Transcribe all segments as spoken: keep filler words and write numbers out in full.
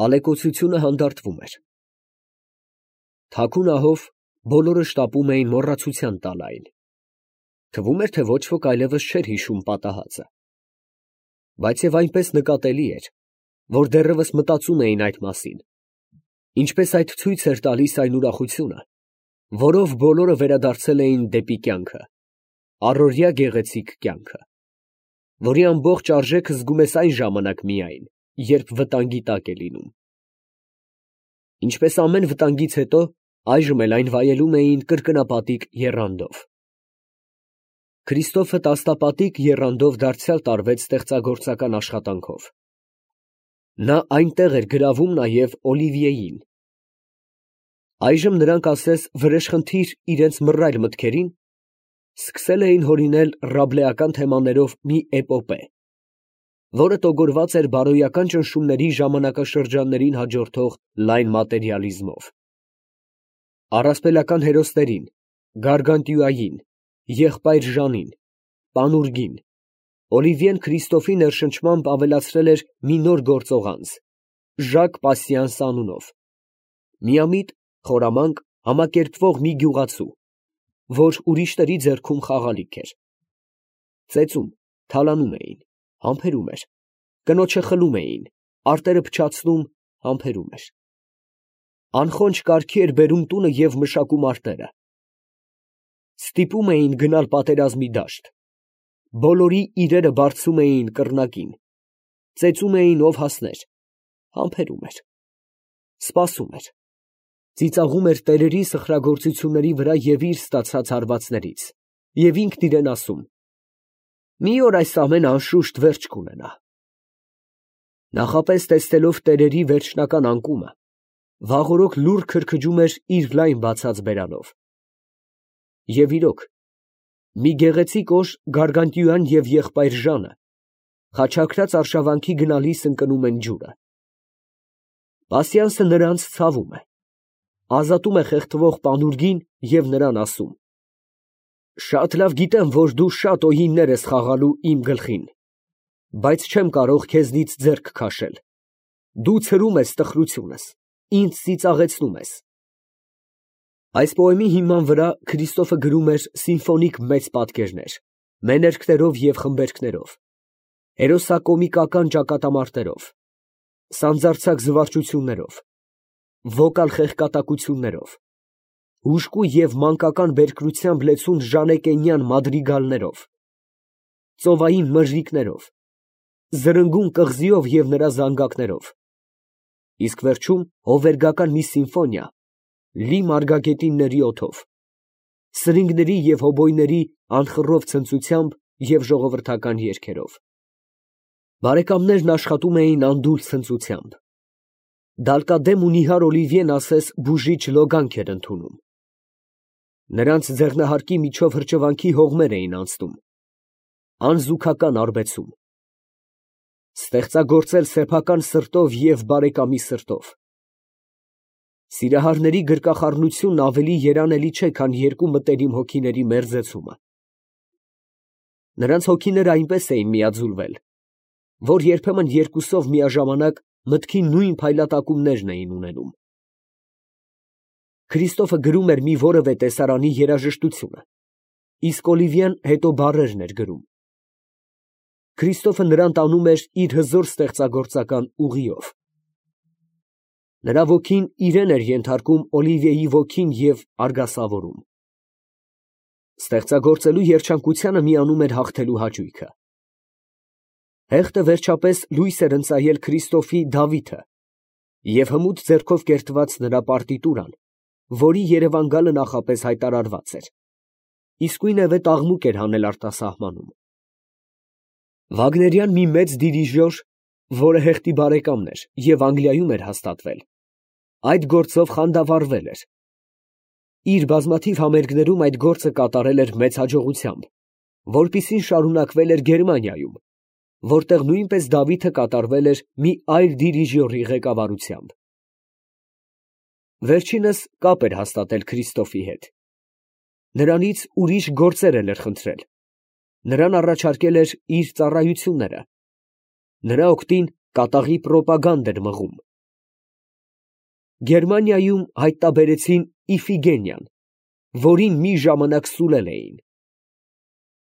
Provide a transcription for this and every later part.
Ալեկոծությունը հանդարտվում էր։ Թաքուն ահով բոլորը շտապում էին մոռացության տալ այն. թվում էր, թե ոչ ոք այլևս չէր հիշում պատահածը։ Բայց և այնպես նկատելի էր, որ դեռևս մտածում էին այդ մասին, ինչպես այդ ցույց էր տալիս այն ուրախությունը, որով բոլորը վերադարձել էին դեպի կյանքը, առօրյա գեղեցիկ կյանքը, որի ամբողջ արժեքը զգում ես այն ժամանակ միայն, երբ վտանգի տակ է լինում։ Ինչպես ամեն վտանգից հետո, այժմ էլ այն վայելում էին կրկնապատիկ եռանդով։ Քրիստոֆը տասնապատիկ եռանդով դարձյալ տարվեց ստեղծագործական աշխատանքով։ Նա այնտեղ էր գրավում նաև Օլիվիեին։ Այժմ նրանք ասես վրեժխնդիր իրենց մռայլ մտքերին սկսել էին հորինել ռաբլեական թեմաներով մի էպոպե, որը տոգորված էր բարոյական ճնշումների ժամանակաշրջաններին հաջորդող լայն մատերիալիզմով։ Առասպելական հերոսներին, Գարգանտյուային, եղբայր Ժանին, Պանուրգին, Օլիվիեն Քրիստոֆի ներշնչմամբ ավելացրել էր մի նոր գործողանց՝ Ժակ Պասիանս անունով, միամիտ, խորամանկ, համակերպվող մի գյուղացու, որ ուրիշների ձեռքում խաղալիք էր։ Ծեծում, թալանում էին, համբերում էր, կնոջը խլում էին, արտերը փչացնում, համբերում էր։ Անխոնջ կարգի էր բերում տունը և մշակում արտերը։ Ստիպում էին գնալ պատերազմի դաշտ, բոլորի իրերը բարձում էին կռնակին, ծեծում էին ով հասներ, համբերում էր, սպասում էր, ծիծաղում էր տերերի սխրագործությունների վրա և իր ստացած հարվածներից, և ինքն իրան ասում. «Մի օր այս ամենը անշուշտ վերջ կունենա»։ Նախապես տեսնելով տերերի վերջնական անկումը, վաղօրոք լուռ քրքջում էր իր լայն բացած բերանով։ Եվ իրոք, մի գեղեցիկ օր Գարգանտյուան և եղբայր Ժանը խաչակրաց արշավանքի գնալիս ընկնում են ջուրը։ Պասիանսը նրանց ցավում է, ազատում է խեղդվող Պանուրգին և նրան ասում. «Շատ լավ գիտեմ, որ դու շատ օիններ ես խաղալու իմ գլխին, բայց չեմ կարող քեզնից ձեռք քաշել, դու ցրում ես տխրությունս, ինձ ծիծաղեցնում ես»։ Այս պոեմի հիման վրա Քրիստոֆը գրում էր սիմֆոնիկ մեծ պատկերներ, մեներկներով և խմբերկներով, հերոսակոմիկական ճակատամարտերով, սանձարձակ զվարճություններով, վոկալ խեղկատակություններով, հուժկու և մանկական բերկրությամբ լեցուն ժանեկենյան մադրիգալներով, ծովային մրրիկներով, զրնգուն կղզիով և նրա զանգակներով, իսկ վերջում հովվերգական մի սիմֆոնիա լի մարգագետինների օդով, սրինգների և հոբոյների անխռով ցնծությամբ և ժողովրդական երգերով։ Բարեկամներն աշխատում էին անդուլ ցնծությամբ։ Դալկադեմ ու նիհար Օլիվիեն ասես բուժիչ լոգանք էր ընդունում։ Նրանց ձեղնահարկի միջով հրճվանքի հողմեր էին անցնում, անզուգական արբեցում։ Ստեղծագործել սեփական սրտով և բարեկամի սրտով։ Սիրահարների գրկախառնությունն ավելի երանելի չէ, քան երկու մտերիմ հոգիների մերձեցումը։ Նրանց հոգիները այնպես էին միաձուլվել, որ երբեմն երկուսով միաժամանակ մտքի նույն փայլատակումներն էին ունենում։ Քրիստոֆը գրում էր մի որևէ տեսարանի երաժշտությունը, իսկ Օլիվիեն հետո բառերն էր գրում։ Քրիստոֆը նրան տանում էր իր հզոր ստեղծագործական ուղիով։ Նրա ոգին իրեն էր ենթարկում Օլիվիեի ոգին և արգասավորում։ Ստեղծագործելու երջանկությանը միանում էր հաղթելու հաճույքը։ Հեղտը վերջապես լույս էր ընծայել Քրիստոֆի Դավիթը և հմուտ ձեռքով կերտված նրա պարտիտուրան, որի երևան գալը նախապես հայտարարված էր, իսկույնևեթ աղմուկ էր հանել արտասահմանում։ Վագներյան մի մեծ դիրիժոր, որը հեղտի բարեկամն էր և Անգլիայում էր հաստատվել, այդ գործով խանդավառվել էր։ Իր բազմաթիվ համերգներում այդ գործը կատարել էր մեծ հաջողությամբ, որպիսին շարունակվել էր Գերմանիայում, որտեղ նույնպես Դավիթը կատարվել էր մի այլ դիրիժյորի ղեկավարությամբ։ Վերջինս կապ էր հաստատել Քրիստոֆի հետ։ Նրանից ուրիշ գործեր էլ էր խնդրել, նրան առաջարկել էր իր ծառայությունները, նրա օգտին կատաղի պրոպագանդ էր մղում, Գերմանիայում հայտնաբերեցին Իֆիգենիան, որին մի ժամանակ սուլել էին։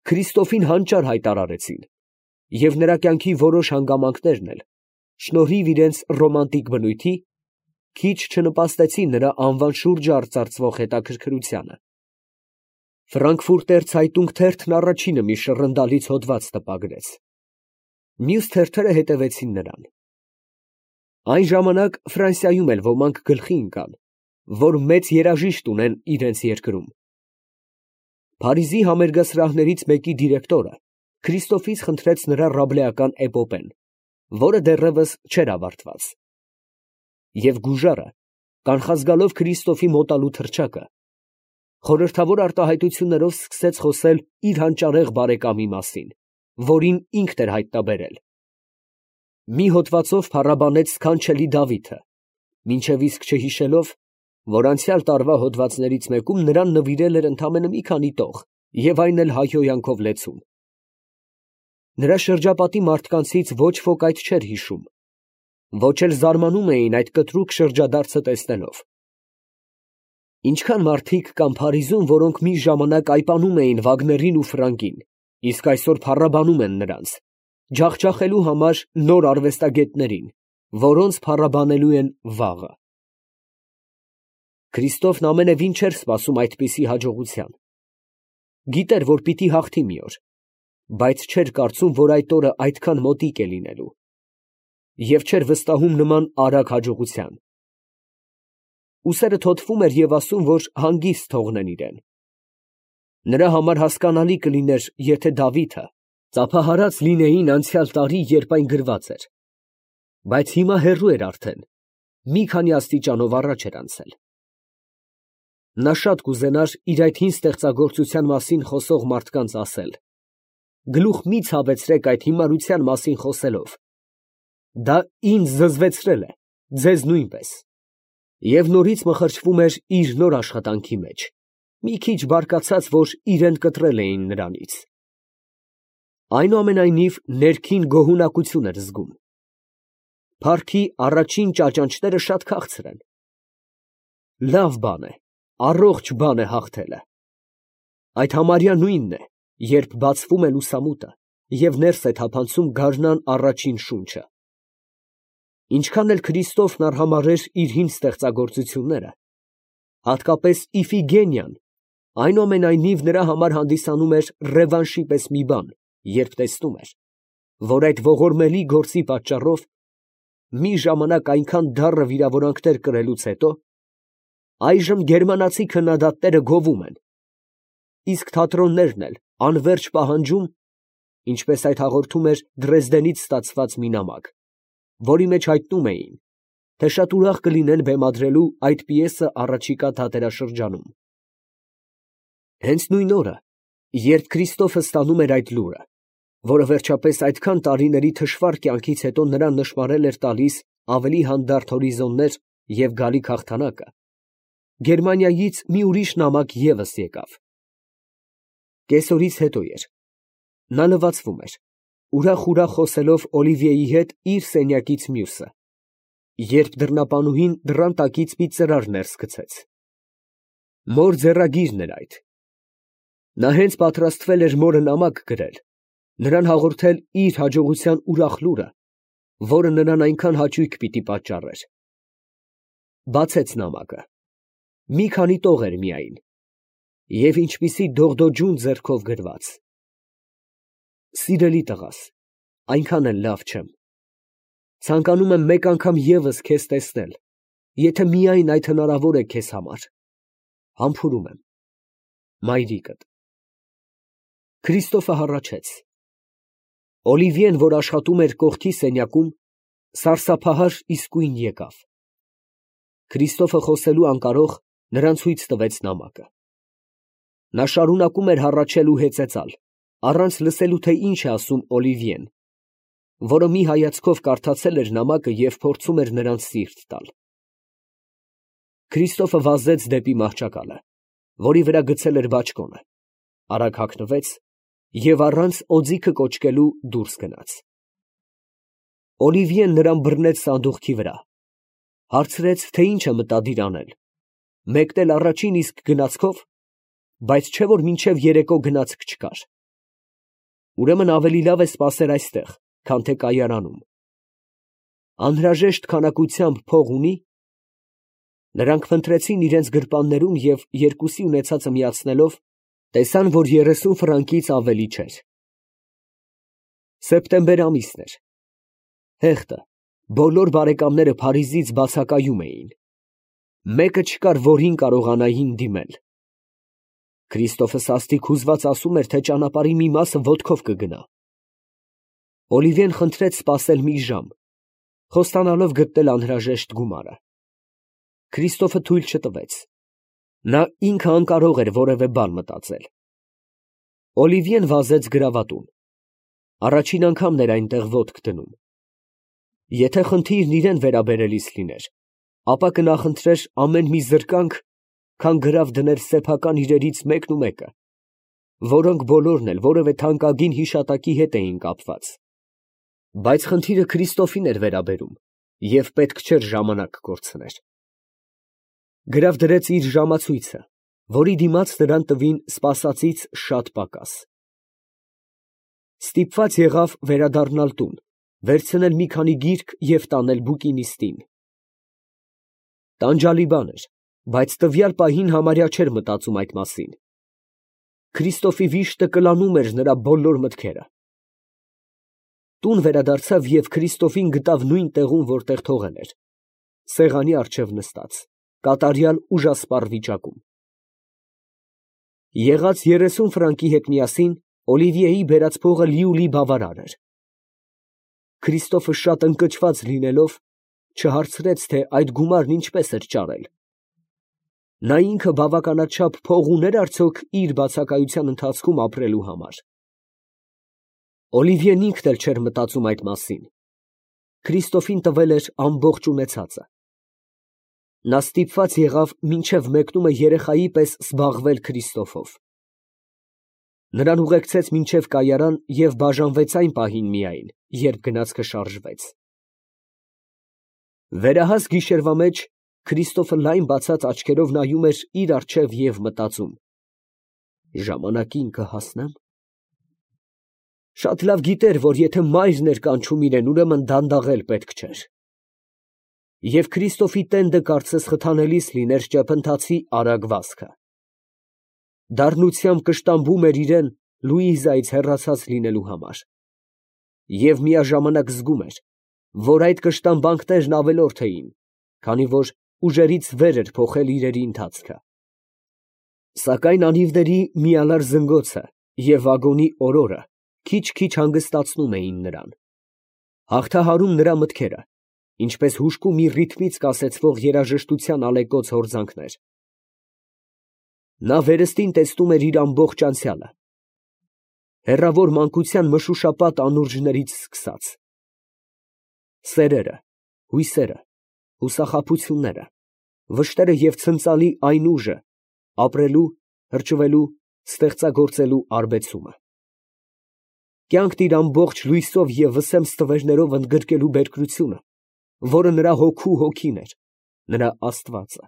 Քրիստոֆին հանճար հայտարարեցին, և նրա կյանքի որոշ հանգամանքներն էլ, շնորհիվ իրենց ռոմանտիկ բնույթի, քիչ չնպաստեցին նրա անվան շուրջը արծարծվող հետաքրքրությանը։ Ֆրանկֆուրտեր Ցայտունգ թերթն առաջինը մի շռնդալից հոդված տպագրեց։ Մյուս թերթերը հետևեցին նրան։ Այն ժամանակ Ֆրանսիայում էլ ոմանք գլխի ընկան, որ մեծ երաժիշտ ունեն իրենց երկրում։ Փարիզի համերգասրահներից մեկի դիրեկտորը Քրիստոֆից խնդրեց նրա ռաբլեական էպոպեն, որը դեռևս չէր ավարտված։ Եվ գուժարը, կանխազգալով Քրիստոֆի մոտալու թռչակը, խորհրդավոր արտահայտություններով սկսեց խոսել իր հանճարեղ բարեկամի մասին, որին ինքն էր հայտնաբերել։ Մի հոդվածով փառաբանեց սքանչելի Դավիթը, մինչև իսկ չհիշելով, որ անցյալ տարվա հոդվածներից մեկում նրան նվիրել էր ընդամենը մի քանի տող, և այն էլ հայհոյանքով լեցուն։ Նրա շրջապատի մարդկանցից ոչ ոք այդ չէր հիշում, ոչ էլ զարմանում էին այդ կտրուկ շրջադարձը տեսնելով։ Ինչքան մարդիկ կան Փարիզում, որոնք մի ժամանակ այպանում էին Վագներին ու Ֆրանկին, իսկ այսօր փառաբանում են նրանց, ջախջախելու համար նոր արվեստագետներին, որոնց փառաբանելու են վաղը։ Քրիստոֆն ամենևին չէր սպասում այդպիսի հաջողության։ Գիտեր, որ պիտի հաղթի մի օր, բայց չէր կարծում, որ այդ օրը այդքան մոտիկ է լինելու, և չէր վստահում նման արագ հաջողության։ Ուսերը թոթվում էր և ասում, որ հանգիստ թողնեն իրեն։ Նրա համար հասկանալի կլիներ, եթե Դավիթը ծափահարած լինեին անցյալ տարի, երբ այն գրված էր, բայց հիմա հեռու էր արդեն, մի քանի աստիճանով առաջ էր անցել։ Նա շատ կուզենար իր այդ հին ստեղծագործության մասին խոսող մարդկանց ասել. գլուխ մի ցավեցրեք այդ հիմարության մասին խոսելով, դա ինձ զզվեցրել է, ձեզ նույնպես, և նորից մխրճվում էր իր նոր աշխատանքի մեջ, մի քիչ բարկացած, որ իրեն կտրել էին նրանից։ Այնուամենայնիվ ներքին գոհունակություն էր զգում։ Փառքի առաջին ճաճանճները շատ քաղցր են։ Լավ բան է, առողջ բան է հաղթելը։ Այդ համարյա նույնն է, երբ բացվում է լուսամուտը և ներս է թափանցում գարնան առաջին շունչը։ Ինչքան էլ Քրիստոֆն արհամարհեր իր հին ստեղծագործությունները, հատկապես Իֆիգենիան, այնուամենայնիվ նրա համար հանդիսանում էր ռևանշի պես մի բան, երբ տեսնում էր, որ այդ ողորմելի գործի պատճառով մի ժամանակ այնքան դառը վիրավորանքներ կրելուց հետո, այժմ գերմանացի քննադատները գովում են, իսկ թատրոններն էլ անվերջ պահանջում, ինչպես այդ հաղորդում էր Դրեզդենից ստացված մի նամակ, որի մեջ հայտնում էին, թե շատ ուրախ կլինեն բեմադրելու այդ պիեսը առաջիկա թատերաշրջանում։ Հենց նույն օրը, երբ Քրիստոֆը ստանում էր այդ լուրը, որը վերջապես այդքան տարիների թշվառ կյանքից հետո նրան նշմարել էր տալիս ավելի հանդարտ հորիզոններ և գալիք հաղթանակը, Գերմանիայից մի ուրիշ նամակ ևս եկավ։ Կեսօրից հետո էր։ Նա լվացվում էր, ուրախ֊ուրախ խոսելով Օլիվիեի հետ իր սենյակից մյուսը, երբ դռնապանուհին դռան տակից մի ծրար ներս գցեց։ Մոր ձեռագիրն էր այդ։ Նա հենց պատրաստվել էր մորը նամակ գրել, նրան հաղորդել իր հաջողության ուրախ լուրը, որը նրան այնքան հաճույք պիտի պատճառեր։ Բացեց նամակը։ Մի քանի տող էր միայն, և ինչպիսի դողդոջուն ձեռքով գրված. Սիրելի տղաս, այնքան էլ լավ չեմ։ Ցանկանում եմ մեկ անգամ ևս քեզ տեսնել, եթե միայն այդ հնարավոր է քեզ համար։ Համբուրում եմ, մայրիկդ։ Քրիստոֆը հառաչեց։ Օլիվիեն, որ աշխատում էր կողքի սենյակում, սարսափահար իսկույն եկավ։ Քրիստոֆը խոսելու անկարող նրան ցույց տվեց նամակը։ Նա շարունակում էր հառաչել ու հեծեծալ, առանց լսելու, թե ինչ է ասում Օլիվիեն, որը մի հայացքով կարդացել էր նամակը և փորձում էր նրան սիրտ տալ։ Քրիստոֆը վազեց դեպի մահճակալը, որի վրա գցել էր բաճկոնը, արագ հագնվեց և առանց օձիքը կոչկելու դուրս գնաց։ Օլիվիեն նրան բռնեց սանդուղքի վրա, Հարցրեց, թե ինչ է մտադիր անել, մեկնել առաջին իսկ գնացքով, բայց չէ որ մինչև երեկո գնացք չկար։ Ուրեմն ավելի լավ է սպասել այստեղ, քան թե կայարանում։ Անհրաժեշտ քանակությամբ փող ունի։ Նրանք փնտրեցին իրենց գրպաններում և երկուսի ունեցածը միացնելով, տեսան, որ երեսուն ֆրանկից ավելի չէր։ Սեպտեմբեր ամիսն էր։ Հեղտը, բոլոր բարեկամները Փարիզից բացակայում էին։ Մեկը չկար, որին կարողանային դիմել։ Քրիստոֆը սաստիկ հուզված ասում էր, թե ճանապարհի մի մասը ոտքով կգնա։ Օլիվիեն խնդրեց սպասել մի ժամ, խոստանալով գտնել անհրաժեշտ գումարը։ Քրիստոֆը թույլ չտվեց։ Նա ինքը անկարող էր որևէ բան մտածել։ Օլիվիեն վազեց գրավատուն։ Առաջին անգամն էր այնտեղ ոտք դնում։ Եթե խնդիրն իրան վերաբերելիս լիներ, ապա կնախընտրեր ամեն մի զրկանք, քան գրավ դներ սեփական իրերից մեկն ու մեկը, որոնք բոլորն էլ որևէ թանկագին հիշատակի հետ էին կապված։ Բայց խնդիրը Քրիստոֆին էր վերաբերում, և պետք չէր ժամանակ կորցներ։ Գրավ դրեց իր ժամացույցը, որի դիմաց նրան տվին սպասածից շատ պակաս։ Ստիպված եղավ վերադառնալ տուն, վերցնել մի քանի գիրք և տանել բուկինիստին։ Տանջալի բան էր, բայց տվյալ պահին համարյա չէր մտածում այդ մասին։ Քրիստոֆի վիշտը կլանում էր նրա բոլոր մտքերը։ Տուն վերադարձավ և Քրիստոֆին գտավ նույն տեղում, որտեղ թողել էր, սեղանի առջև նստած, կատարյալ ուժասպառ վիճակում։ Եղած երեսուն ֆրանկի հետ միասին Օլիվիեի բերած փողը լիուլի բավարար էր։ Քրիստոֆը շատ ընկճված լինելով, չհարցրեց, թե այդ գումարն ինչպես էր ճարել։ Նա ինքը բավականաչափ փող ուներ արդյոք իր բացակայության ընթացքում ապրելու համար։ Օլիվիեն ինքն էլ չէր մտածում այդ մասին։ Քրիստոֆին տվել էր ամբողջ ունեցածը։ Նա ստիպված եղավ մինչև մեկնումը երեխայի պես զբաղվել Քրիստոֆով։ Նրան ուղեկցեց մինչև կայարան և բաժանվեց այն պահին միայն, երբ գնացքը շարժվեց։ Վերահաս գիշերվա մեջ Քրիստոֆը լայն բացած աչքերով նայում էր իր առջև և մտածում. «Ժամանակին կհասնե՞մ»։ Շատ լավ գիտեր, որ եթե մայրն էր կանչում իրեն, ուրեմն դանդաղել պետք չէր։ Եվ Քրիստոֆի տենդը կարծես խթանելիս լիներ ճեպընթացի արագ վազքը։ Դառնությամբ կշտամբում էր իրեն Լուիզայից հեռացած լինելու համար։ Եվ միաժամանակ զգում էր, որ այդ կշտամբանքներն ավելորդ էին, քանի որ ուժերից վեր էր փոխել իրերի ընթացքը։ Սակայն անիվների միալար զնգոցը և վագոնի օրորը քիչ֊քիչ հանգստացնում էին նրան, հաղթահարում նրա մտքերը, ինչպես հուժկու մի ռիթմից կասեցվող երաժշտության ալեկոծ հորձանքներ։ Նա վերստին տեսնում էր իր ամբողջ անցյալը, հեռավոր մանկության մշուշապատ անուրջներից սկսած։ Սերերը, հույսերը, հուսախաբությունները, վշտերը և ցնծալի այն ուժը, ապրելու, հրճվելու, ստեղծագործելու արբեցումը։ Կյանքն իր ամբողջ լույսով և վսեմ ստվերներով ընդգրկելու բերկրությունը, որը նրա հոգու հոգին էր, նրա աստվածը։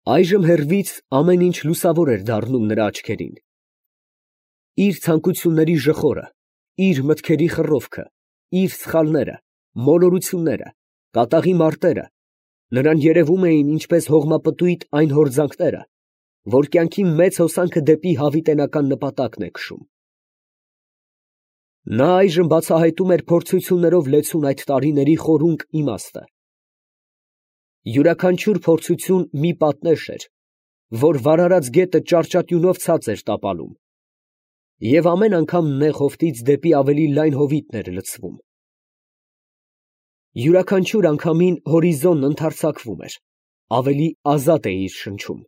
Այժմ հեռվից ամեն ինչ լուսավոր էր դառնում նրա աչքերին։ Իր ցանկությունների ժխորը, իր մտքերի խռովքը, իր սխալները, մոլորությունները, կատաղի մարտերը նրան երևում էին ինչպես հողմապտույտ այն հորձանքները, որ կյանքի մեծ հոսանքը դեպի հավիտենական նպատակն է քշում։ Նա այժմ բացահայտում էր փորձություններով լեցուն այդ տարիների խորունկ իմաստը։ Յուրաքանչյուր փորձություն մի պատնեշ էր, որ վարարած գետը ճարճատյունով ցած էր տապալում, և ամեն անգամ նեղ հովտից դեպի ավելի լայն հովիտն էր լցվում։ Յուրաքանչյուր անգամին հորիզոնն ընդարձակվում էր, ավելի ազատ է իր շնչում։